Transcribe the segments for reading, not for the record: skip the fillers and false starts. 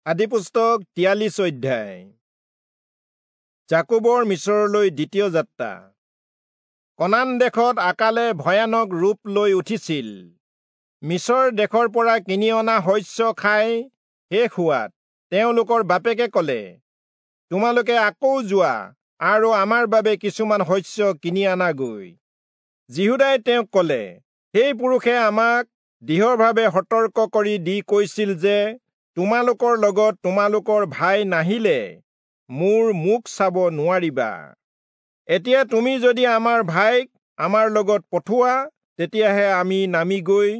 আদিপুস্তক 43 অধ্যায়। যাকোবৰ মিচৰলৈ দ্বিতীয় যাত্ৰা। কনান দেশত আকালে ভয়ানক ৰূপ লৈ উঠিছিল। মিচৰ দেশৰ পৰা কিনি অনা শস্য খাই শেষ হোৱাত তেওঁলোকৰ বাপেকে ক'লে, তোমালোকে আকৌ যোৱা আৰু আমাৰ বাবে কিছুমান শস্য কিনি আনাগৈ। যিহূদাই তেওঁক ক'লে, সেই পুৰুষে আমাক দৃঢ়ভাৱে সতৰ্ক কৰি দি কৈছিল যে তোমালোকৰ লগত তোমালোকৰ ভাই নাহিলে মোৰ মুখ চাব নোৱাৰিবা। এতিয়া তুমি যদি আমাৰ ভাইক আমাৰ লগত পঠোৱা, তেতিয়াহে আমি নামি গৈ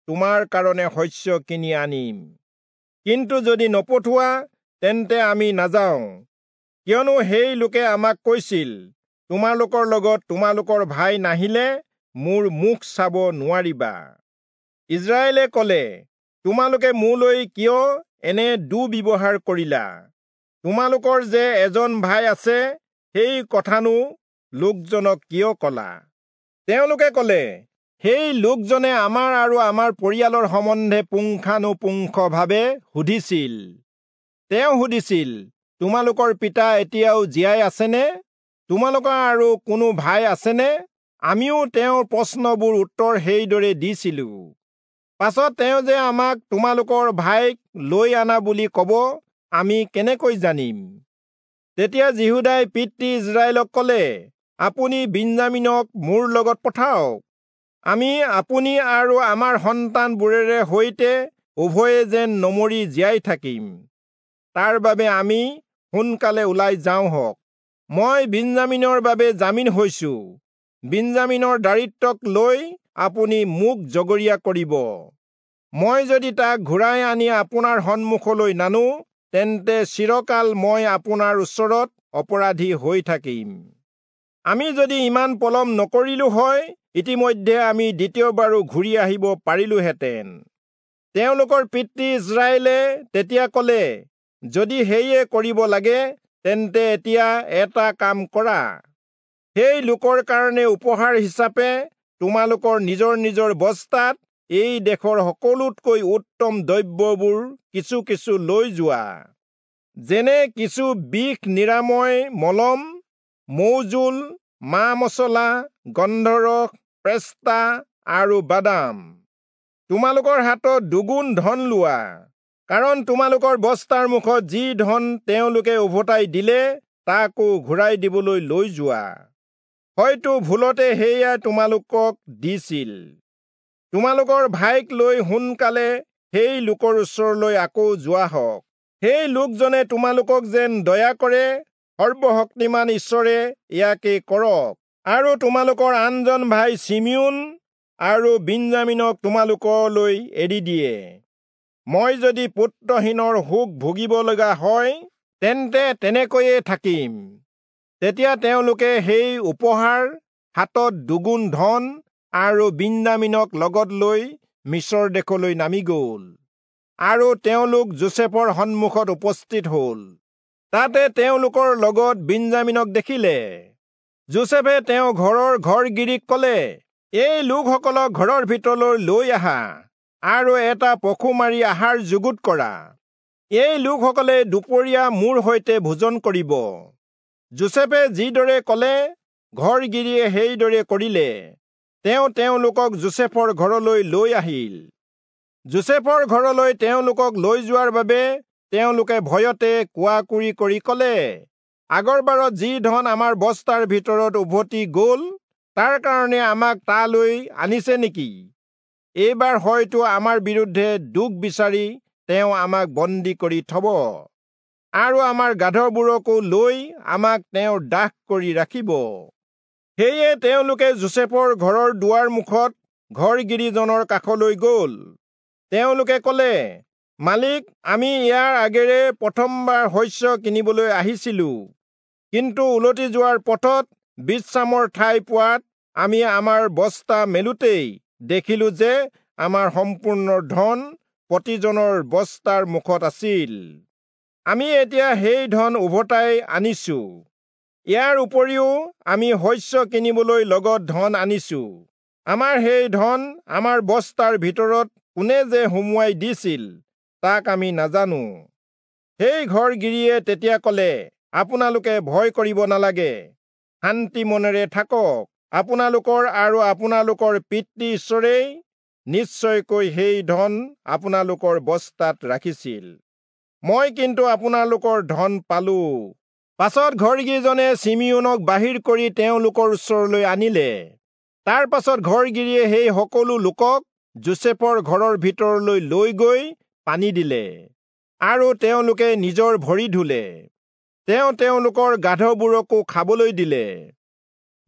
তোমাৰ কাৰণে শস্য কিনি আনিম। কিন্তু যদি নপঠোৱা, তেন্তে আমি নাযাওঁ, কিয়নো সেই লোকে আমাক কৈছিল, তোমালোকৰ লগত তোমালোকৰ ভাই নাহিলে মোৰ মুখ চাব নোৱাৰিবা। ইজৰাইলে ক'লে, তোমালোকে মোলৈ কিয় এনে দুৰ্ব্যৱহাৰ কৰিলা? তোমালোকৰ যে এজন ভাই আছে, সেই কথানো লোকজনক কিয় কলা? তেওঁলোকে ক'লে, সেই লোকজনে আমাৰ আৰু আমাৰ পৰিয়ালৰ সম্বন্ধে পুংখানুপুংখভাৱে সুধিছিল। তেওঁ সুধিছিল, তোমালোকৰ পিতা এতিয়াও জীয়াই আছেনে? তোমালোকৰ আৰু কোনো ভাই আছেনে? আমিও তেওঁৰ প্ৰশ্নবোৰ উত্তৰ সেইদৰে দিছিলো। পাছত তেওঁ যে আমাক তোমালোকৰ ভাইক লৈ আনা বুলি ক'ব, আমি কেনেকৈ জানিম? তেতিয়া যিহূদাই পিতৃ ইজৰাইলক ক'লে, আপুনি বিন্যামীনক মোৰ লগত পঠাওক। আমি আপুনি আৰু আমাৰ সন্তানবোৰেৰে সৈতে উভয়ে যেন নমৰি জীয়াই থাকিম, তাৰ বাবে আমি সোনকালে ওলাই যাওঁ হওক। মই বিন্যামীনৰ বাবে জামিন হৈছো। বিন্যামীনৰ দাৰিদ্ৰ্যক লৈ আপুনি মোক জগৰীয়া কৰিব। মই যদি তাক ঘূৰাই আনি আপোনাৰ সন্মুখলৈ নানো, তেন্তে চিৰকাল মই আপোনাৰ ওচৰত অপৰাধী হৈ থাকিম। আমি যদি ইমান পলম নকৰিলো হয়, ইতিমধ্যে আমি দ্বিতীয়বাৰো ঘূৰি আহিব পাৰিলোহেঁতেন। তেওঁলোকৰ পিতৃ ইজৰাইলে তেতিয়া ক'লে, যদি সেয়ে কৰিব লাগে, তেন্তে এতিয়া এটা কাম কৰা। সেই লোকৰ কাৰণে উপহাৰ হিচাপে তোমালোকৰ নিজৰ নিজৰ বস্তাত এই দেশৰ সকলোতকৈ উত্তম দ্ৰব্যবোৰ কিছু কিছু লৈ যোৱা, যেনে কিছু বিষ নিৰাময় মলম, মৌজোল, মা মছলা, গন্ধৰস, পেস্তা আৰু বাদাম। তোমালোকৰ হাতত দুগুণ ধন লোৱা, কাৰণ তোমালোকৰ বস্তাৰ মুখত যি ধন তেওঁলোকে উভতাই দিলে, তাকো ঘূৰাই দিবলৈ লৈ যোৱা। হয়তো ভুলতে সেয়া তোমালোকক দিছিল। তোমালোকৰ ভাইক লৈ সোনকালে সেই লোকৰ ওচৰলৈ আকৌ যোৱা হওক। সেই লোকজনে তোমালোকক যেন দয়া কৰে, সৰ্বশক্তিমান ঈশ্বৰে ইয়াকে কৰক, আৰু তোমালোকৰ আনজন ভাই চিমিয়োন আৰু বিন্যামীনক তোমালোকলৈ এৰি দিয়ে। মই যদি পুত্ৰহীনৰ শোক ভুগিব লগা হয়, তেন্তে তেনেকৈয়ে থাকিম। তেতিয়া তেওঁলোকে সেই উপহাৰ, হাতত দুগুণ ধন আৰু বিন্যামীনক লগত লৈ মিচৰ দেশলৈ নামি গ'ল, আৰু তেওঁলোক যোচেফৰ সন্মুখত উপস্থিত হ'ল। তাতে তেওঁলোকৰ লগত বিন্যামীনক দেখিলে। যোচেফে তেওঁ ঘৰৰ ঘৰগিৰিক ক'লে, এই লোকসকলক ঘৰৰ ভিতৰলৈ লৈ আহা আৰু এটা পশু মাৰি আহাৰ যুগুত কৰা। এই লোকসকলে দুপৰীয়া মোৰ সৈতে ভোজন কৰিব। যোচেফে যিদৰে ক'লে, ঘৰগিৰিয়ে সেইদৰে কৰিলে। তেওঁ তেওঁলোকক যোচেফৰ ঘৰলৈ লৈ আহিল। যোচেফৰ ঘৰলৈ তেওঁলোকক লৈ যোৱাৰ বাবে তেওঁলোকে ভয়তে কোৱাকুৰি কৰি ক'লে, আগৰবাৰত যি ধন আমাৰ বস্তাৰ ভিতৰত উভতি গ'ল, তাৰ কাৰণে আমাক তালৈ আনিছে নেকি? এইবাৰ হয়তো আমাৰ বিৰুদ্ধে দোষ বিচাৰি তেওঁ আমাক বন্দী কৰি থব, আৰু আমাৰ গাধবোৰকো লৈ আমাক তেওঁৰ দাস কৰি ৰাখিব। সেয়ে তেওঁলোকে যোচেফৰ ঘৰৰ দুৱাৰ মুখত ঘৰগিৰিজনৰ কাষলৈ গ'ল। তেওঁলোকে ক'লে, মালিক, আমি ইয়াৰ আগেৰে প্ৰথমবাৰ শস্য কিনিবলৈ আহিছিলো, কিন্তু উলটি যোৱাৰ পথত বিশ্ৰামৰ ঠাই পোৱাত আমি আমাৰ বস্তা মেলোতেই দেখিলো যে আমাৰ সম্পূৰ্ণ ধন প্ৰতিজনৰ বস্তাৰ মুখত আছিল। আমি এতিয়া সেই ধন উভতাই আনিছো। ইয়াৰ উপৰিও আমি শস্য কিনিবলৈ লগত ধন আনিছো। আমাৰ সেই ধন আমাৰ বস্তাৰ ভিতৰত কোনে যে সুমুৱাই দিছিল, তাক আমি নাজানো। সেই ঘৰগিৰিয়ে তেতিয়া কলে, আপোনালোকে ভয় কৰিব নালাগে, শান্তি মনেৰে থাকক। আপোনালোকৰ আৰু আপোনালোকৰ পিতৃ ঈশ্বৰেই নিশ্চয়কৈ সেই ধন আপোনালোকৰ বস্তাত ৰাখিছিল। মই কিন্তু আপোনালোকৰ ধন পালো। পাছত ঘৰগিৰিজনে চিমিয়োনক বাহিৰ কৰি তেওঁলোকৰ ওচৰলৈ আনিলে। তাৰ পাছত ঘৰগিৰিয়ে সেই সকলো লোকক যোচেফৰ ঘৰৰ ভিতৰলৈ লৈ গৈ পানী দিলে আৰু তেওঁলোকে নিজৰ ভৰি ধুলে। তেওঁ তেওঁলোকৰ গাধবোৰকো খাবলৈ দিলে।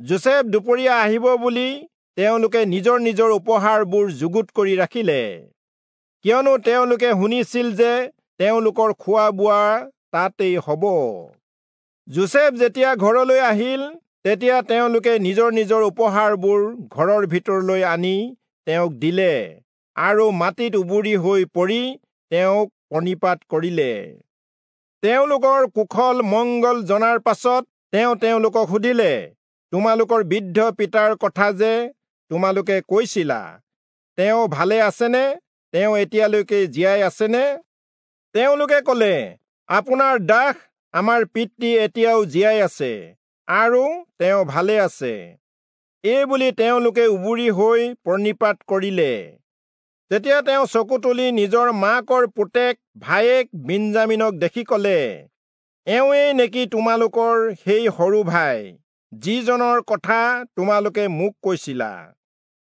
যোচেফ দুপৰীয়া আহিব বুলি তেওঁলোকে নিজৰ নিজৰ উপহাৰবোৰ যুগুত কৰি ৰাখিলে, কিয়নো তেওঁলোকে শুনিছিল যে তেওঁলোকৰ খোৱা বোৱা তাতেই হ'ব। যোচেফ যেতিয়া ঘৰলৈ আহিল, তেতিয়া তেওঁলোকে নিজৰ নিজৰ উপহাৰবোৰ ঘৰৰ ভিতৰলৈ আনি তেওঁক দিলে আৰু মাটিত উবুৰি হৈ পৰি তেওঁক প্ৰণিপাত কৰিলে। তেওঁলোকৰ কুশল মংগল জনাৰ পাছত তেওঁ তেওঁলোকক সুধিলে, তোমালোকৰ বৃদ্ধ পিতাৰ কথা যে তোমালোকে কৈছিলা, তেওঁ ভালে আছেনে? তেওঁ এতিয়ালৈকে জীয়াই আছেনে? তেওঁলোকে কলে, আপোনাৰ দাস আমাৰ পিতৃ এতিয়াও জীয়াই আছে আৰু তেওঁ ভালে আছে। এই বুলি তেওঁলোকে উবুৰি হৈ প্ৰণিপাত কৰিলে। তেতিয়া তেওঁ চকু তুলি নিজৰ মাকৰ পুতেক ভায়েক বিঞ্জামিনক দেখি কলে, এওঁৱেই নেকি তোমালোকৰ সেই সৰু ভাই, যিজনৰ কথা তোমালোকে মোক কৈছিলা?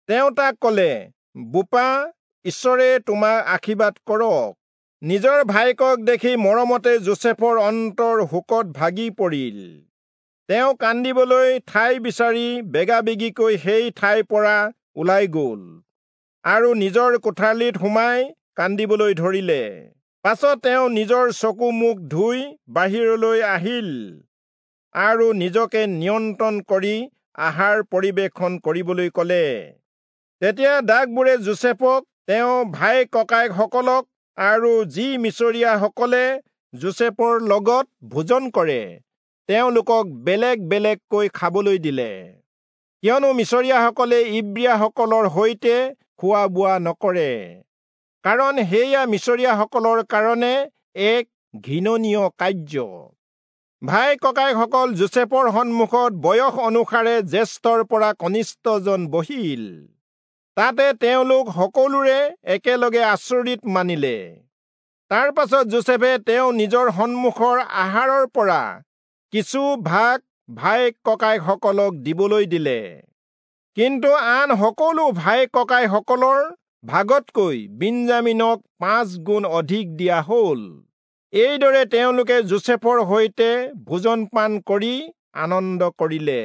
তেওঁ তাক কলে, বোপা, ঈশ্বৰে তোমাক আশীৰ্বাদ কৰক। নিজৰ ভায়েকক দেখি মৰমতে যোচেফৰ অন্তৰ শোকত ভাগি পৰিল। তেওঁ কান্দিবলৈ ঠাই বিচাৰি বেগাবেগিকৈ সেই ঠাইৰ পৰা ওলাই গ'ল আৰু নিজৰ কোঠালিত সোমাই কান্দিবলৈ ধৰিলে। পাছত তেওঁ নিজৰ চকু মুখ ধুই বাহিৰলৈ আহিল আৰু নিজকে নিয়ন্ত্ৰণ কৰি আহাৰ পৰিৱেশন কৰিবলৈ কলে। তেতিয়া দাসবোৰে যোচেফক, তেওঁ ভাই ককায়েকসকলক আৰু যি মিচৰীয়াসকলে যোচেফৰ লগত ভোজন কৰে তেওঁলোকক বেলেগ বেলেগকৈ খাবলৈ দিলে, কিয়নো মিচৰীয়াসকলে ইব্ৰীয়াসকলৰ সৈতে খোৱা বোৱা নকৰে, কাৰণ সেয়া মিচৰীয়াসকলৰ কাৰণে এক ঘৃণনীয় কাৰ্য। ভাই ককায়েকসকল যোচেফৰ সন্মুখত বয়স অনুসাৰে জ্যেষ্ঠৰ পৰা কনিষ্ঠজন বহিল। তাতে তেওঁলোক সকলোৰে একেলগে আচৰিত মানিলে। তাৰ পাছত যোচেফে তেওঁ নিজৰ সন্মুখৰ আহাৰৰ পৰা কিছু ভাগ ভাই ককায়েকসকলক দিবলৈ দিলে, কিন্তু আন সকলো ভাই ককায়েকসকলৰ ভাগতকৈ বিঞ্জামিনক 5 গুণ অধিক দিয়া হ'ল। এইদৰে তেওঁলোকে যোচেফৰ সৈতে ভোজন পান কৰি আনন্দ কৰিলে।